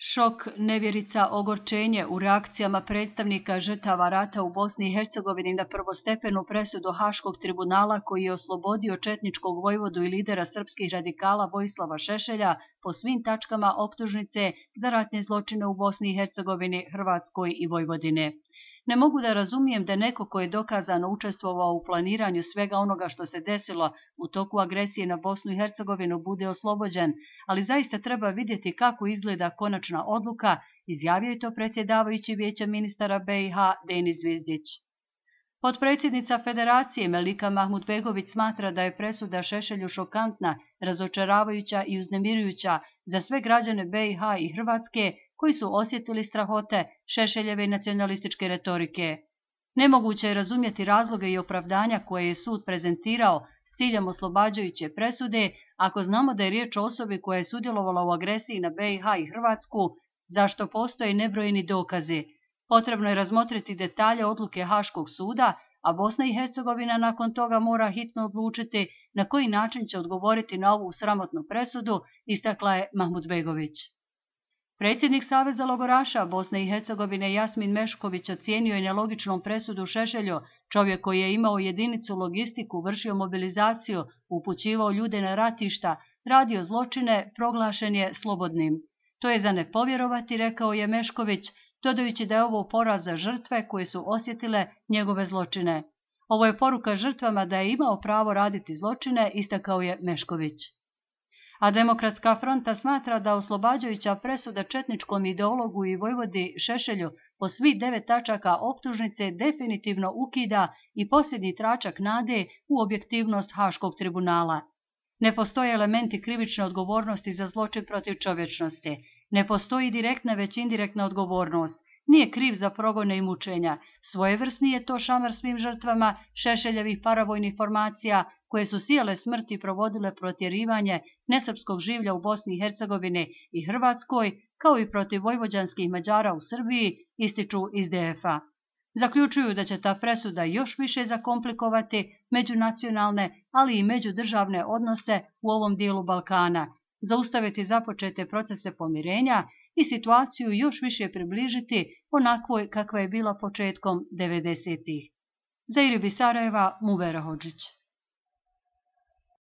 Šok, nevjerica, ogorčenje u reakcijama predstavnika žrtava rata u Bosni i Hercegovini na prvostepenu presudu Haškog tribunala koji je oslobodio četničkog vojvodu i lidera srpskih radikala Vojislava Šešelja po svim tačkama optužnice za ratne zločine u Bosni i Hercegovini, Hrvatskoj i Vojvodine. Ne mogu da razumijem da neko ko je dokazano učestvovao u planiranju svega onoga što se desilo u toku agresije na Bosnu i Hercegovinu bude oslobođen, ali zaista treba vidjeti kako izgleda konačna odluka, izjavio je to predsjedavajući Vijeća ministara BiH Denis Zvizdić. Potpredsjednica Federacije Melika Mahmudbegović smatra da je presuda Šešelju šokantna, razočaravajuća i uznemirujuća za sve građane BiH i Hrvatske koji su osjetili strahote Šešeljeve i nacionalističke retorike. Nemoguće je razumjeti razloge i opravdanja koje je sud prezentirao s ciljem oslobađajuće presude ako znamo da je riječ o osobi koja je sudjelovala u agresiji na BiH i Hrvatsku, zašto postoje nebrojeni dokazi. Potrebno je razmotriti detalje odluke Haškog suda, a Bosna i Hercegovina nakon toga mora hitno odlučiti na koji način će odgovoriti na ovu sramotnu presudu, istakla je Mahmudbegović. Predsjednik Saveza logoraša Bosne i Hercegovine Jasmin Mešković ocijenio je nelogičnom presudu Šešelju, čovjek koji je imao jedinicu logistiku, vršio mobilizaciju, upućivao ljude na ratišta, radio zločine, proglašen je slobodnim. To je za ne povjerovati, rekao je Mešković, dodajući da je ovo poraz za žrtve koje su osjetile njegove zločine. Ovo je poruka žrtvama da je imao pravo raditi zločine, istakao je Mešković. A Demokratska fronta smatra da oslobađajuća presuda četničkom ideologu i vojvodi Šešelju po svih 9 tačaka optužnice definitivno ukida i posljednji tračak nade u objektivnost Haškog tribunala. Ne postoje elementi krivične odgovornosti za zločin protiv čovječnosti. Ne postoji direktna već indirektna odgovornost. Nije kriv za progone i mučenja. Svojevrsni je to šamar svim žrtvama Šešeljevih paravojnih formacija koje su sijale smrti i provodile protjerivanje nesrpskog življa u Bosni i Hercegovini i Hrvatskoj, kao i protiv vojvođanskih Mađara u Srbiji, ističu iz DF-a. Zaključuju da će ta presuda još više zakomplikovati međunacionalne, ali i međudržavne odnose u ovom dijelu Balkana, zaustaviti započete procese pomirenja i situaciju još više približiti onakvoj kakva je bila početkom 90-ih. Za Iribi Sarajeva, Muvera Hodžić.